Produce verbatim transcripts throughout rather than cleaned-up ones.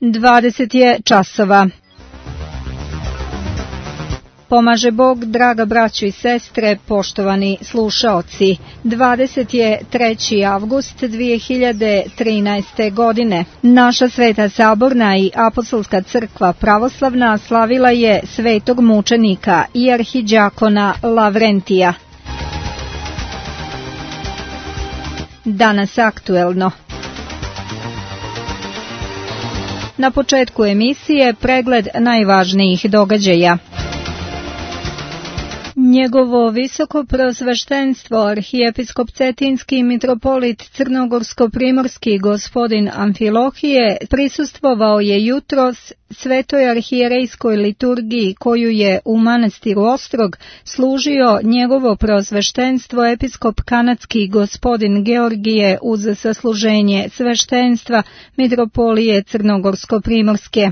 dvadeset je časova. Pomaže Bog, draga braćo i sestre, poštovani slušaoci. dvadeset je treći avgust dvije hiljade trinaeste. godine. Naša Sveta Saborna i Apostolska crkva pravoslavna slavila je svetog mučenika i arhidjakona Lavrentija. Danas aktuelno. Na početku emisije pregled najvažnijih događaja. Njegovo visoko preosveštenstvo arhijepiskop Cetinski mitropolit Crnogorsko-primorski gospodin Amfilohije prisustvovao je jutros svetoj arhijerejskoj liturgiji koju je u manastiru Ostrog služio njegovo preosveštenstvo episkop kanadski gospodin Georgije uz sasluženje sveštenstva mitropolije Crnogorsko-primorske.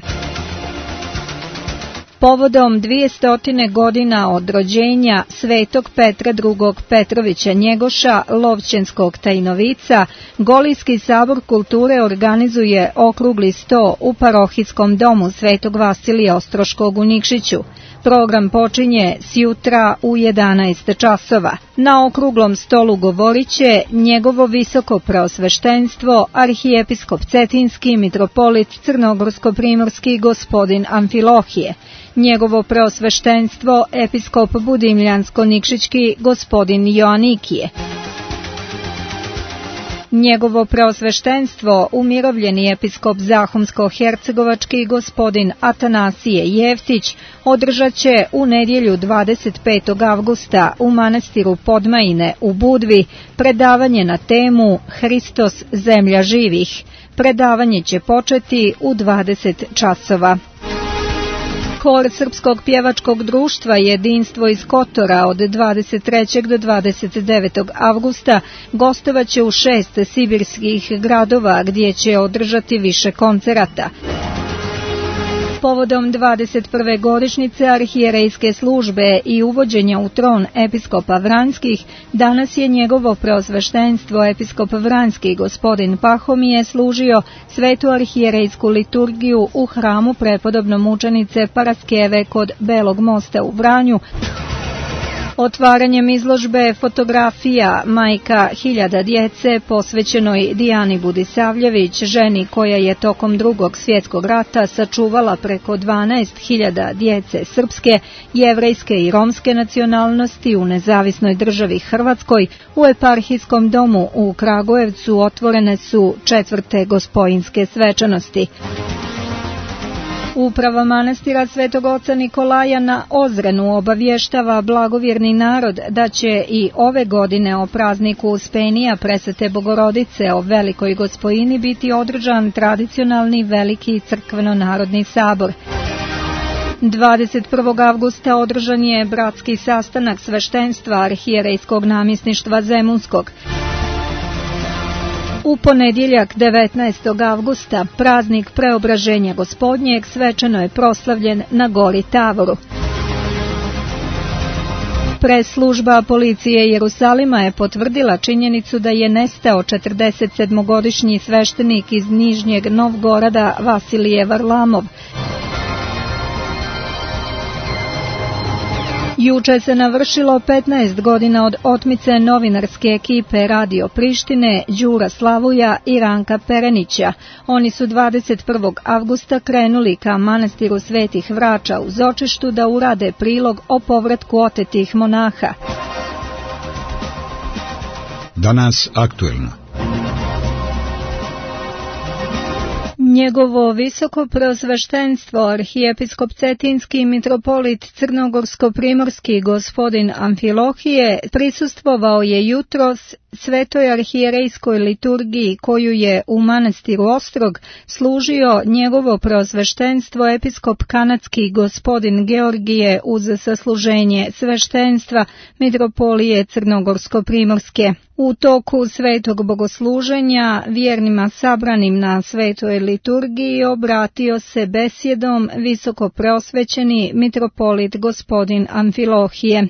Povodom dvijestotine godina od rođenja svetog Petra drugog Petrovića Njegoša, Lovćenskog Tajnovica, Golijski sabor kulture organizuje okrugli sto u parohijskom domu svetog Vasilija Ostroškog u Nikšiću. Program počinje sjutra u jedanaest časova. Na okruglom stolu govorit će njegovo visoko preosveštenstvo, arhijepiskop Cetinski mitropolit Crnogorsko-primorski gospodin Amfilohije, njegovo preosveštenstvo, episkop Budimljansko-nikšićki gospodin Joanikije, njegovo preosveštenstvo, umirovljeni episkop Zahumsko-hercegovački gospodin Atanasije Jeftić, održat će u nedjelju dvadeset petog avgusta u manastiru Podmajine u Budvi predavanje na temu Hristos, zemlja živih. Predavanje će početi u dvadeset časova. Hor Srpskog pjevačkog društva Jedinstvo iz Kotora od dvadeset trećeg do dvadeset devetog avgusta gostovaće u šest sibirskih gradova gdje će održati više koncerata. Povodom dvadeset prve godišnjice arhijerejske službe i uvođenja u tron episkopa Vranskih, danas je njegovo preosveštenstvo episkop Vranski gospodin Pahomije služio svetu arhijerejsku liturgiju u hramu prepodobno mučenice Paraskeve kod Belog mosta u Vranju. Otvaranjem izložbe fotografija Majka hiljada djece posvećenoj Dijani Budisavljević, ženi koja je tokom drugog svjetskog rata sačuvala preko dvanaest hiljada djece srpske, jevrejske i romske nacionalnosti u nezavisnoj državi Hrvatskoj, u eparhijskom domu u Kragujevcu otvorene su četvrte gospojinske svečanosti. Uprava manastira Svetog oca Nikolaja na Ozrenu obavještava blagovjerni narod da će i ove godine o prazniku Uspenija Presvete Bogorodice o Velikoj Gospojini biti održan tradicionalni veliki crkveno-narodni sabor. dvadeset prvog avgusta održan je bratski sastanak sveštenstva arhijerejskog namjesništva Zemunskog. U ponedjeljak devetnaestog avgusta praznik Preobraženja Gospodnjeg svečano je proslavljen na Gori Tavoru. Press-služba policije Jerusalima je potvrdila činjenicu da je nestao četrdeset sedmogodišnji sveštenik iz Nižnjeg Novgorada Vasilije Varlamov. Juče se navršilo petnaest godina od otmice novinarske ekipe Radio Prištine Đura Slavuja i Ranka Perenića. Oni su dvadeset prvog avgusta krenuli ka manastiru Svetih Vrača u Zočištu da urade prilog o povratku otetih monaha. Danas aktuelno. Njegovo visoko preosveštenstvo arhijepiskop Cetinski mitropolit Crnogorsko-primorski gospodin Amfilohije prisustvovao je jutros svetoj arhijerejskoj liturgiji koju je u manastiru Ostrog služio njegovo preosveštenstvo episkop kanadski gospodin Georgije uz sasluženje sveštenstva mitropolije Crnogorsko-primorske. U toku svetog bogosluženja vjernima sabranim na svetoj liturgiji obratio se besjedom visoko preosvećeni mitropolit gospodin Amfilohije.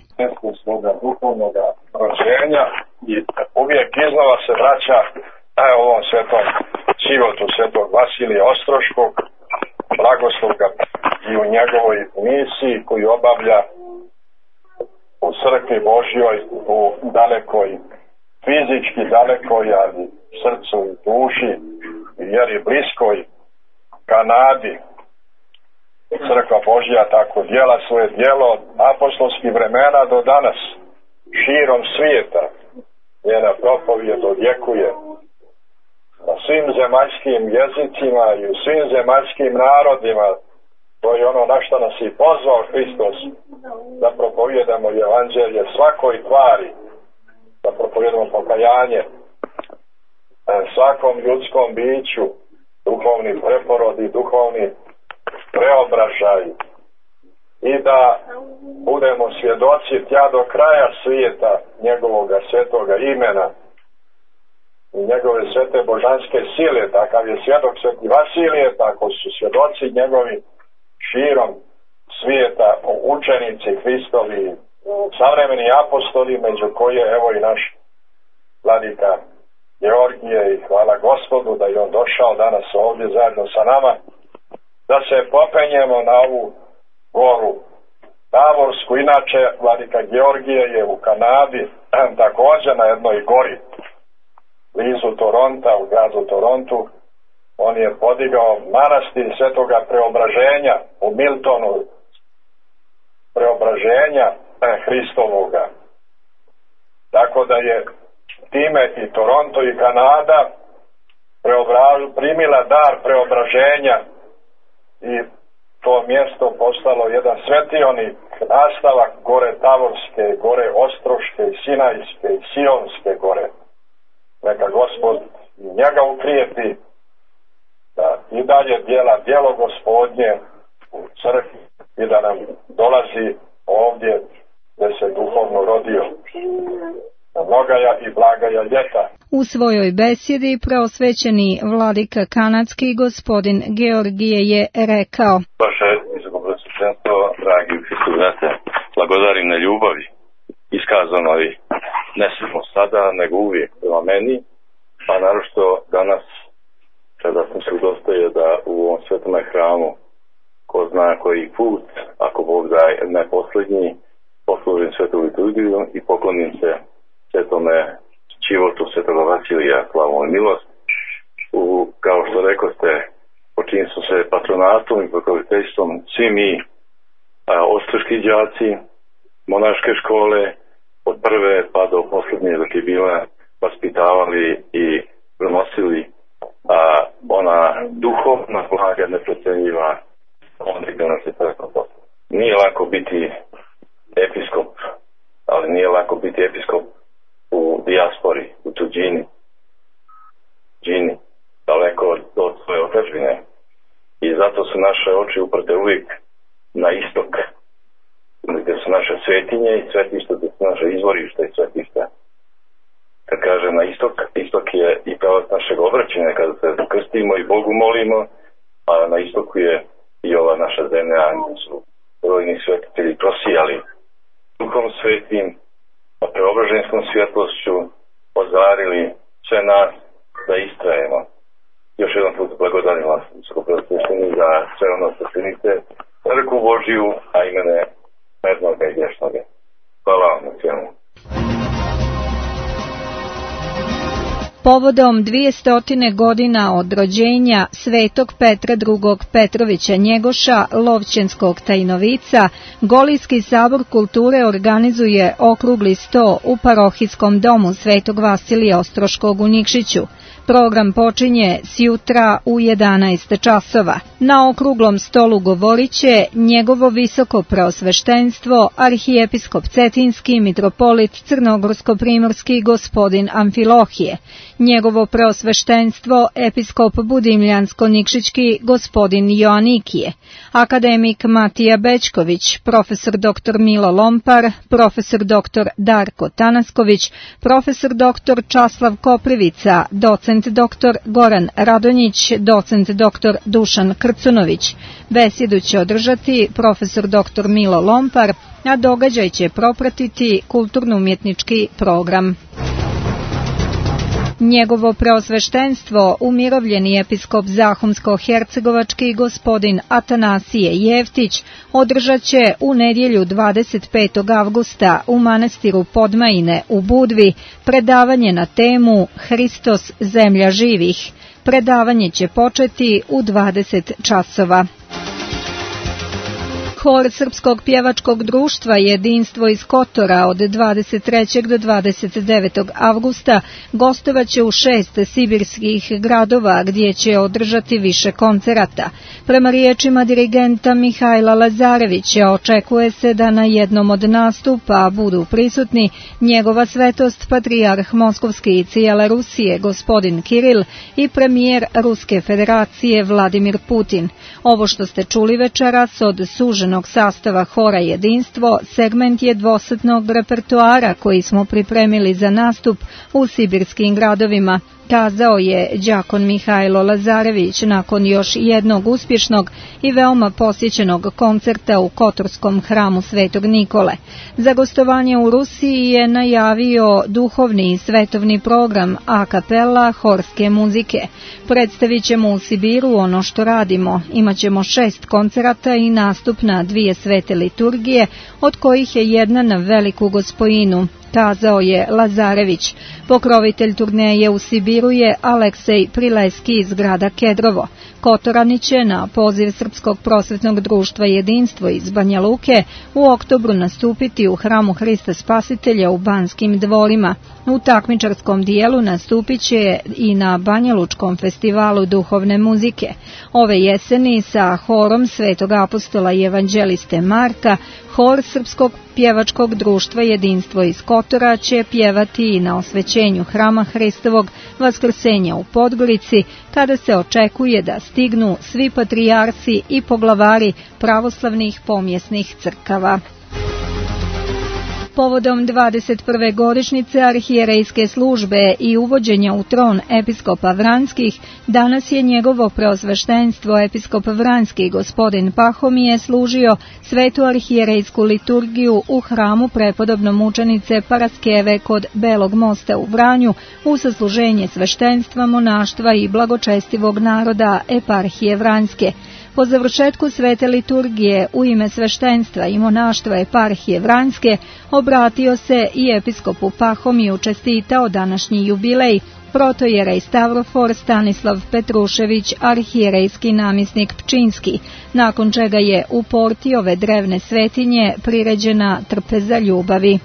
Svoga duhovnoga rođenja i uvijek iznova se vraća ovom svetom životu svetog Vasilija Ostroškog, blagoslov ga i u njegovoj misiji koju obavlja u crkvi Božjoj, u dalekoj, fizički dalekoj, ali srcu i duši, jer i bliskoj Kanadi. Crkva Božja tako djela svoje djelo od apostolskih vremena do danas, širom svijeta. Njena propovijed odjekuje na svim zemaljskim jezicima i u svim zemaljskim narodima. To je ono na što nas i pozvao Hristos, da propovijedamo evanđelje svakoj tvari, da propovijedamo pokajanje svakom ljudskom biću, duhovni preporod i duhovni preobražaj, i da budemo svjedoci tja do kraja svijeta njegovoga svetoga imena i njegove svete božanske sile. Takav je svjedok sveti Vasilije, tako su svjedoci njegovi širom svijeta, učenici Hristovi, savremeni apostoli, među koje evo i naš vladika Georgije, i hvala Gospodu da je on došao danas ovdje zajedno sa nama, da se popenjemo na ovu goru Tavorsku. Inače, vladika Georgije je u Kanadi, također na jednoj gori blizu Toronta, u gradu Torontu. On je podigao manastir Svetoga Preobraženja u Miltonu, Preobraženja Hristovoga. Tako da je time i Toronto i Kanada primila dar preobraženja i to mjesto postalo jedan svetionik, nastavak gore Tavorske, gore Ostroške, Sinajske i Sionske gore. Neka Gospod njega ukrijepi da i dalje djela djelo Gospodnje u crkvi i da nam dolazi ovdje gdje se duhovno rodio. Mnogaja i blagaja ljeta. U svojoj besjedi preosvećeni vladika kanadski gospodin Georgije je rekao: Vaše visokopreosvećenstvo, dragi u Hristu, znate, blagodarim na ljubavi iskazanoj ne samo sada, nego uvijek prema meni, pa naročito danas kada sam se udostoje da u ovom svetome hramu, ko zna koji put, ako Bog daje ne posljednji, poslužim svetu liturgiju i poklonim se svetome životu svetoga Vasilija, slavu i milost. U, kao što rekoste, počinili su se patronatom i pokroviteljstvom svi mi a, ostrški đaci, monaške škole, od prve pa do posljednje dok je bila, vaspitavali i prenosili a, ona duhovna blaga neprocenjiva, onda gdje nas je preko posla. Nije lako biti episkop, ali nije lako biti episkop u dijaspori, u tuđini, džini, daleko od svoje otadžbine. I zato su naše oči uprte uvijek na istok, gdje su naše svetinje i svetišta, gdje su naše izvorišta i svetišta. Kad kažem na istok, istok je i pravac našeg obraćanja kada se krstimo i Bogu molimo, a na istoku je i ova naša zemlja, gdje su brojni svetitelji prosijali duhom svetim, a preobraženskom svjetlošću ozarili sve nas da istrajemo. Još jedan put blagodarim vas, visokopreosvećeni, za sve ono što činite, crkvu Božiju, a imene mednoga i vječnoga. Hvala vam na svemu. Povodom dvijestotine godina od rođenja svetog Petra drugog Petrovića Njegoša, Lovćenskog Tajnovica, Golijski sabor kulture organizuje okrugli sto u parohijskom domu svetog Vasilija Ostroškog u Nikšiću. Program počinje sjutra u jedanaest časova. Na okruglom stolu govorit će njegovo visoko preosveštenstvo, arhijepiskop Cetinski, mitropolit Crnogorsko-primorski gospodin Amfilohije, njegovo preosveštenstvo, episkop Budimljansko-Nikšićki gospodin Joanikije, akademik Matija Bećković, profesor doktor Milo Lompar, profesor doktor Darko Tanasković, profesor doktor Časlav Koprivica, docent doktor Goran Radonjić, docent doktor Dušan Krcunović. Besjedu će održati profesor doktor Milo Lompar, a događaj će propratiti kulturno-umjetnički program. Njegovo preosveštenstvo, umirovljeni episkop Zahumsko-hercegovački gospodin Atanasije Jeftić, održat će u nedjelju dvadeset petog avgusta u manastiru Podmajine u Budvi predavanje na temu Hristos, zemlja živih. Predavanje će početi u dvadeset časova. Hor Srpskog pjevačkog društva Jedinstvo iz Kotora od dvadeset trećeg do dvadeset devetog avgusta gostovaće u šest sibirskih gradova gdje će održati više koncerata. Prema riječima dirigenta Mihajla Lazarevića očekuje se da na jednom od nastupa budu prisutni njegova svetost patrijarh Moskovski i cijele Rusije gospodin Kiril i premijer Ruske federacije Vladimir Putin. Ovo što ste čuli večeras od suženog sastava Hora Jedinstvo segment je dvosatnog repertoara koji smo pripremili za nastup u sibirskim gradovima, kazao je đakon Mihajlo Lazarević nakon još jednog uspješnog i veoma posjećenog koncerta u Kotorskom hramu Svetog Nikole. Za gostovanje u Rusiji je najavio duhovni i svetovni program a kapela horske muzike. Predstavit ćemo u Sibiru ono što radimo. Imaćemo šest koncerata i nastup na dvije svete liturgije, od kojih je jedna na Veliku Gospojinu, kazao je Lazarević. Pokrovitelj turneje u Sibiru je Aleksej Prileski iz grada Kedrovo. Kotorani će na poziv Srpskog prosvetnog društva Jedinstvo iz Banja Luke u oktobru nastupiti u hramu Hrista Spasitelja u Banskim dvorima. U takmičarskom dijelu nastupit će i na Banjalučkom festivalu duhovne muzike. Ove jeseni sa horom Svetog apostola i evanđeliste Marka, hor Srpskog pjevačkog društva Jedinstvo iz Kotora će pjevati i na osvećenju hrama Hristovog Vaskrsenja u Podgorici, kada se očekuje da stignu svi patrijarsi i poglavari pravoslavnih pomjesnih crkava. Povodom dvadeset prve godišnjice arhijerejske službe i uvođenja u tron episkopa Vranskih, danas je njegovo preosveštenstvo episkop Vranski gospodin Pahomije služio svetu arhijerejsku liturgiju u hramu prepodobno mučenice Paraskeve kod Belog mosta u Vranju u sasluženje sveštenstva, monaštva i blagočestivog naroda eparhije Vranjske. Po završetku svete liturgije u ime sveštenstva i monaštva eparhije Vranjske obratio se i episkopu Pahomiju, čestitao današnji jubilej protojerej Stavrofor Stanislav Petrušević, arhijerejski namjesnik Pčinski, nakon čega je u porti ove drevne svetinje priređena trpeza ljubavi.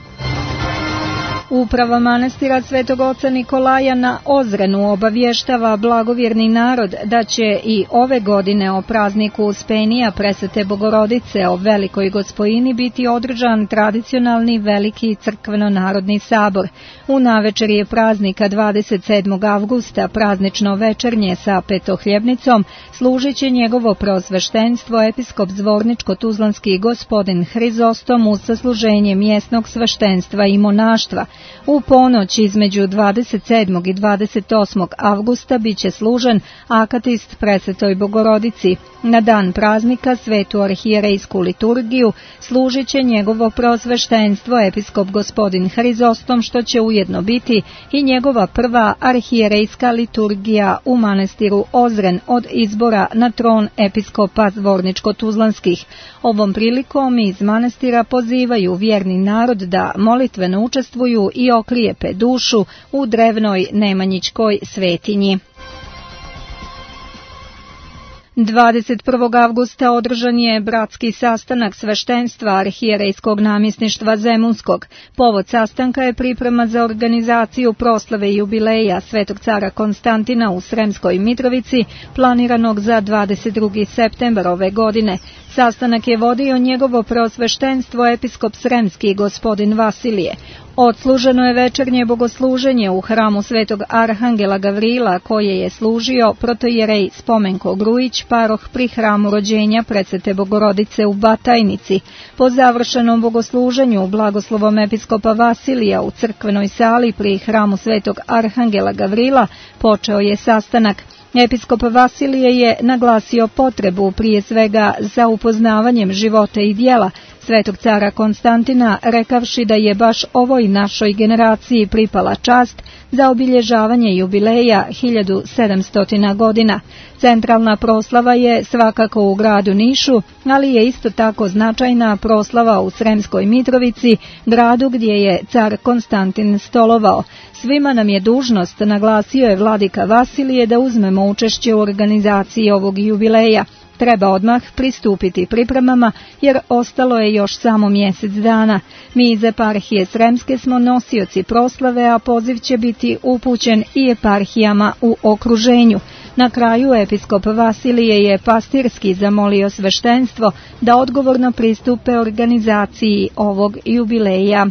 Uprava manastira Svetog oca Nikolaja na Ozrenu obavještava blagovjerni narod da će i ove godine o prazniku Uspenija Presvete Bogorodice o Velikoj Gospojini biti održan tradicionalni veliki crkveno-narodni sabor. U navečerje praznika dvadeset sedmog avgusta praznično večernje sa petohljebnicom služit će njegovo preosveštenstvo episkop Zvorničko-Tuzlanski gospodin Hrizostom uz sasluženje mjesnog sveštenstva i monaštva. U ponoć između dvadeset sedmog i dvadeset osmog avgusta biće služen akatist Presvetoj Bogorodici. Na dan praznika svetu arhijerejsku liturgiju služit će njegovo preosveštenstvo episkop gospodin Hrizostom, što će ujedno biti i njegova prva arhijerejska liturgija u manastiru Ozren od izbora na tron episkopa Zvorničko-Tuzlanskih. Ovom prilikom iz manastira pozivaju vjerni narod da molitveno učestvuju i oklijepe dušu u drevnoj Nemanjićkoj svetinji. dvadeset prvog avgusta održan je bratski sastanak sveštenstva arhijerejskog namjesništva Zemunskog. Povod sastanka je priprema za organizaciju proslave jubileja Svetog cara Konstantina u Sremskoj Mitrovici, planiranog za dvadeset drugi septembar ove godine. Sastanak je vodio njegovo preosveštenstvo episkop Sremski gospodin Vasilije. Odsluženo je večernje bogosluženje u hramu Svetog Arhangela Gavrila, koje je služio protojerej Spomenko Grujić, paroh pri hramu rođenja Presvete Bogorodice u Batajnici. Po završenom bogosluženju blagoslovom episkopa Vasilija u crkvenoj sali pri hramu Svetog Arhangela Gavrila počeo je sastanak. Episkop Vasilije je naglasio potrebu prije svega za upoznavanjem života i djela svetog cara Konstantina, rekavši da je baš ovoj našoj generaciji pripala čast za obilježavanje jubileja hiljadu sedamsto godina. Centralna proslava je svakako u gradu Nišu, ali je isto tako značajna proslava u Sremskoj Mitrovici, gradu gdje je car Konstantin stolovao. Svima nam je dužnost, naglasio je vladika Vasilije, da uzmemo učešće u organizaciji ovog jubileja. Treba odmah pristupiti pripremama jer ostalo je još samo mjesec dana. Mi iz eparhije Sremske smo nosioci proslave, a poziv će biti upućen i eparhijama u okruženju. Na kraju episkop Vasilije je pastirski zamolio sveštenstvo da odgovorno pristupe organizaciji ovog jubileja.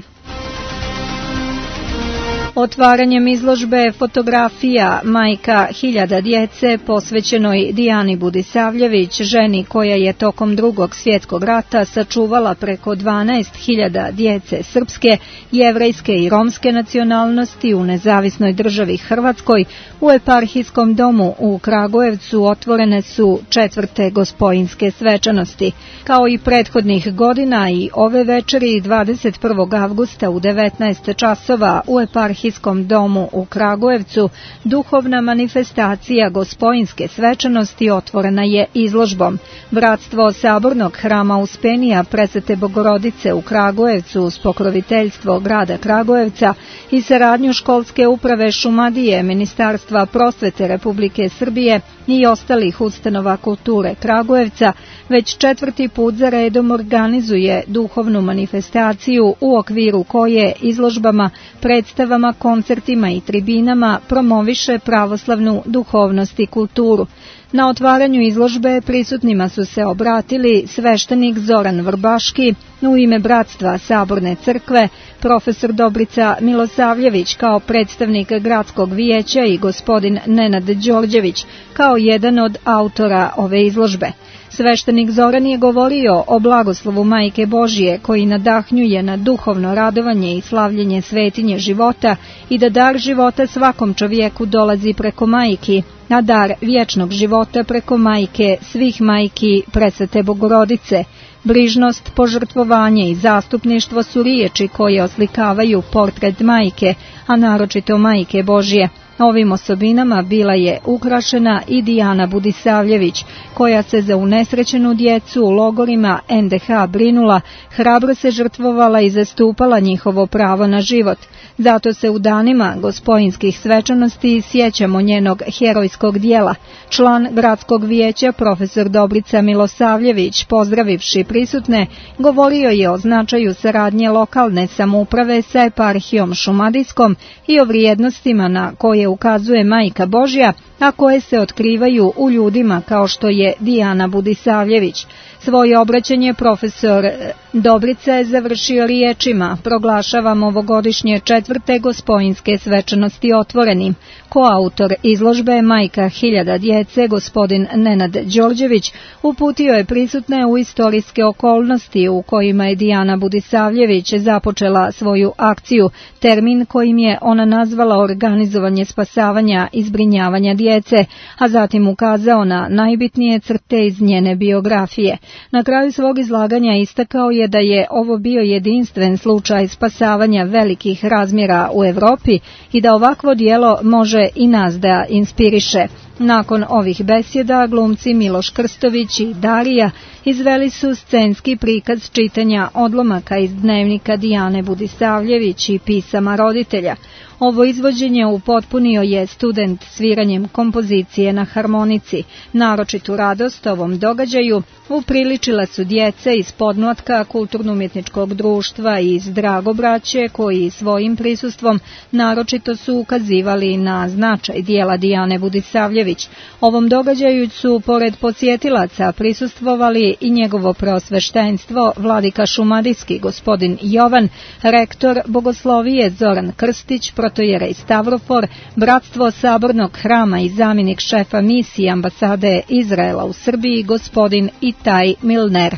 Otvaranjem izložbe fotografija Majka hiljada djece posvećenoj Dijani Budisavljević, ženi koja je tokom Drugog svjetskog rata sačuvala preko dvanaest hiljada djece srpske, jevrejske i romske nacionalnosti u nezavisnoj državi Hrvatskoj, u eparhijskom domu u Kragujevcu otvorene su četvrte gospojinske svečanosti. Kao i prethodnih godina i ove večeri dvadeset prvog avgusta u devetnaest časova u eparhijskom domu u Kragujevcu duhovna manifestacija gospojinske svečanosti otvorena je izložbom. Bratstvo Sabornog hrama Uspenija Presvete Bogorodice u Kragujevcu uz pokroviteljstvo grada Kragujevca i saradnju školske uprave Šumadije, Ministarstva prosvete Republike Srbije i ostalih ustanova kulture Kragujevca već četvrti put za redom organizuje duhovnu manifestaciju u okviru koje izložbama, predstavama, koncertima i tribinama promoviše pravoslavnu duhovnost i kulturu. Na otvaranju izložbe prisutnima su se obratili sveštenik Zoran Vrbaški u ime Bratstva Saborne crkve, profesor Dobrica Milosavljević kao predstavnik gradskog vijeća i gospodin Nenad Đorđević kao jedan od autora ove izložbe. Sveštenik Zoran je govorio o blagoslovu Majke Božije koji nadahnjuje na duhovno radovanje i slavljenje svetinje života i da dar života svakom čovjeku dolazi preko majki, a dar vječnog života preko majke svih majki Presvete Bogorodice. Brižnost, požrtvovanje i zastupništvo su riječi koje oslikavaju portret majke, a naročito Majke Božije. Ovim osobinama bila je ukrašena i Dijana Budisavljević, koja se za unesrećenu djecu u logorima en de ha brinula, hrabro se žrtvovala i zastupala njihovo pravo na život. Zato se u danima gospojinskih svečanosti sjećamo njenog herojskog dijela. Član gradskog vijeća profesor Dobrica Milosavljević, pozdravivši prisutne, govorio je o značaju saradnje lokalne samouprave sa eparhijom Šumadijskom i o vrijednostima na koje ukazuje Majka Božja, a koje se otkrivaju u ljudima kao što je Dijana Budisavljević. Svoje obraćanje profesor Dobrica je završio riječima: proglašavam ovogodišnje četvrte gospojinske svečanosti otvorenim. Koautor izložbe Majka hiljada djece, gospodin Nenad Đorđević, uputio je prisutne u istorijske okolnosti u kojima je Dijana Budisavljević započela svoju akciju, termin kojim je ona nazvala organizovanje spasavanja i zbrinjavanja djece, a zatim ukazao na najbitnije crte iz njene biografije. Na kraju svog izlaganja istakao je da je ovo bio jedinstven slučaj spasavanja velikih razmjera u Europi i da ovakvo djelo može i nas da inspiriše. Nakon ovih besjeda glumci Miloš Krstović i Darija izveli su scenski prikaz čitanja odlomaka iz dnevnika Dijane Budisavljević i pisama roditelja. Ovo izvođenje upotpunio je student sviranjem kompozicije na harmonici. Naročitu radost ovom događaju upriličila su djece iz podmlatka kulturno-umjetničkog društva i iz Dragobraće, koji svojim prisustvom naročito su ukazivali na značaj dijela Dijane Budisavljević. Ovom događaju su pored podsjetilaca prisustvovali i njegovo preosveštenstvo, vladika šumadijski gospodin Jovan, rektor bogoslovije Zoran Krstić, protojerej Stavrofor, Bratstvo Sabornog hrama i zamjenik šefa misije ambasade Izraela u Srbiji gospodin Itaj Milner.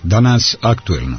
Danas aktuelno.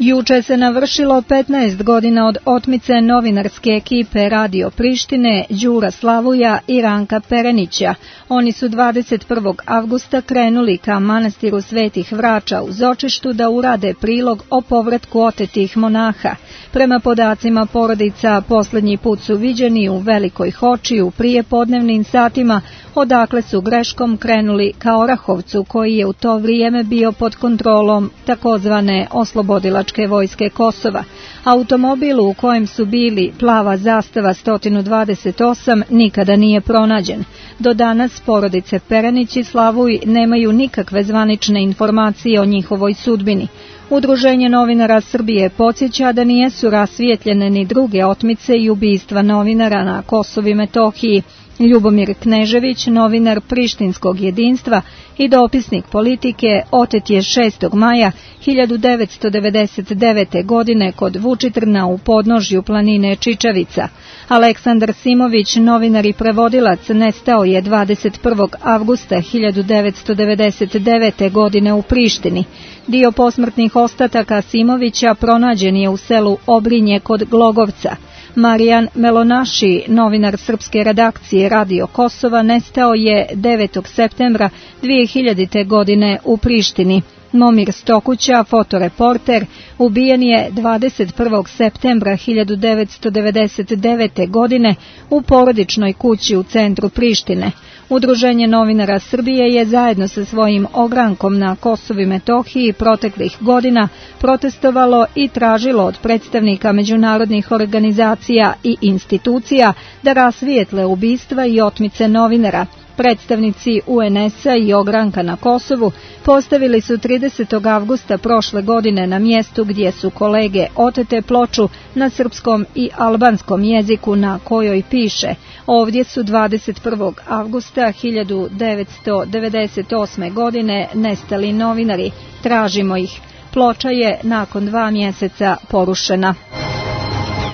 Juče se navršilo petnaest godina od otmice novinarske ekipe Radio Prištine Đura Slavuja i Ranka Perenića. Oni su dvadeset prvog avgusta krenuli ka manastiru Svetih Vrača u Zočištu da urade prilog o povratku otetih monaha. Prema podacima porodica, poslednji put su viđeni u Velikoj Hoči u prijepodnevnim satima, odakle su greškom krenuli ka Orahovcu, koji je u to vrijeme bio pod kontrolom takozvane oslobodilačke vojske Kosova. Automobil u kojem su bili, plava zastava sto dvadeset osam, nikada nije pronađen. Do danas porodice Perenić i Slavuj nemaju nikakve zvanične informacije o njihovoj sudbini. Udruženje novinara Srbije podsjeća da nijesu rasvijetljene ni druge otmice i ubistva novinara na Kosovu i Metohiji. Ljubomir Knežević, novinar Prištinskog jedinstva i dopisnik Politike, otet je šestog maja hiljadu devetsto devedeset devete. godine kod Vučitrna u podnožju planine Čičavica. Aleksandar Simović, novinar i prevodilac, nestao je dvadeset prvog avgusta hiljadu devetsto devedeset devete. godine u Prištini. Dio posmrtnih ostataka Simovića pronađen je u selu Obrinje kod Glogovca. Marijan Melonaši, novinar srpske redakcije Radio Kosova, nestao je devetog septembra dve hiljadite. godine u Prištini. Momir Stokuća, fotoreporter, ubijen je dvadeset prvog septembra hiljadu devetsto devedeset devete. godine u porodičnoj kući u centru Prištine. Udruženje novinara Srbije je zajedno sa svojim ogrankom na Kosovu i Metohiji proteklih godina protestovalo i tražilo od predstavnika međunarodnih organizacija i institucija da rasvijetle ubistva i otmice novinara. Predstavnici U N S-a i ogranka na Kosovu postavili su tridesetog avgusta prošle godine na mjestu gdje su kolege otete ploču na srpskom i albanskom jeziku na kojoj piše: ovdje su dvadeset prvog avgusta hiljadu devetsto devedeset osme. godine nestali novinari, tražimo ih. Ploča je nakon dva mjeseca porušena.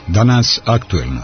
Danas aktuelno.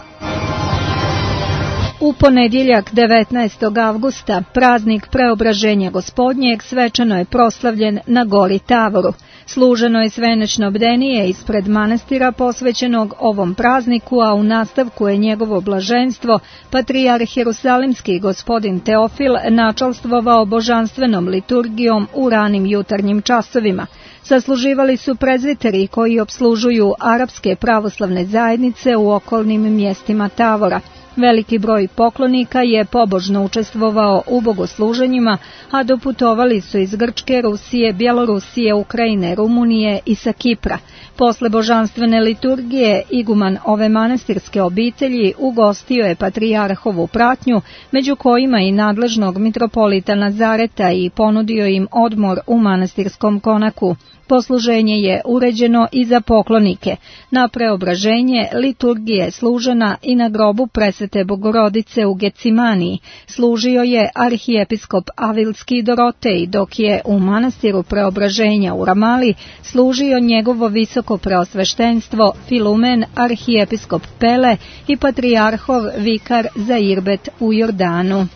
U ponedjeljak devetnaestog avgusta, praznik Preobraženja Gospodnjeg, svečano je proslavljen na gori Tavoru. Služeno je svenečno bdenije ispred manastira posvećenog ovom prazniku, a u nastavku je njegovo blaženstvo, patrijarh Jerusalimski gospodin Teofil, načalstvovao božanstvenom liturgijom u ranim jutarnjim časovima. Sasluživali su prezviteri koji opslužuju arapske pravoslavne zajednice u okolnim mjestima Tavora. Veliki broj poklonika je pobožno učestvovao u bogosluženjima, a doputovali su iz Grčke, Rusije, Bjelorusije, Ukrajine, Rumunije i sa Kipra. Posle božanstvene liturgije, iguman ove manastirske obitelji ugostio je patrijarhovu pratnju, među kojima i nadležnog mitropolita Nazareta, i ponudio im odmor u manastirskom konaku. Posluženje je uređeno i za poklonike. Na Preobraženje liturgije služena i na grobu Presvete Bogorodice u Gecimaniji. Služio je arhijepiskop Avilski Dorotej, dok je u manastiru Preobraženja u Ramali služio njegovo visoko preosveštenstvo Filumen, arhijepiskop Pele i patrijarhov vikar za Irbet u Jordanu.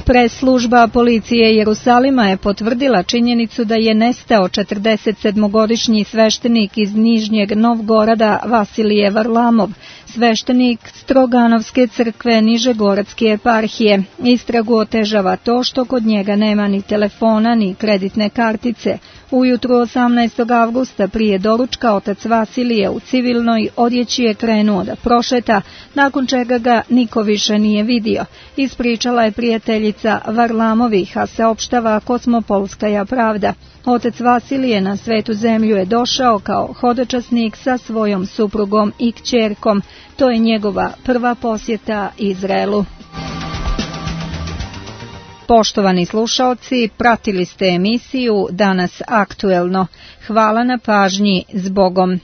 Presslužba policije Jerusalima je potvrdila činjenicu da je nestao četrdesetsedmogodišnji sveštenik iz Nižnjeg Novgorada Vasilije Varlamov, sveštenik Stroganovske crkve Nižegoradske eparhije. Istragu otežava to što kod njega nema ni telefona ni kreditne kartice. Ujutru osamnaestog avgusta prije doručka otac Vasilije u civilnoj odjeći je krenuo da prošeta, nakon čega ga niko više nije vidio. Ispričala je prijateljica Varlamovih, a saopštava Kosmopolskaja pravda. Otac Vasilije na svetu zemlju je došao kao hodočasnik sa svojom suprugom i kćerkom. To je njegova prva posjeta Izraelu. Poštovani slušaoci, pratili ste emisiju Danas aktuelno. Hvala na pažnji, zbogom.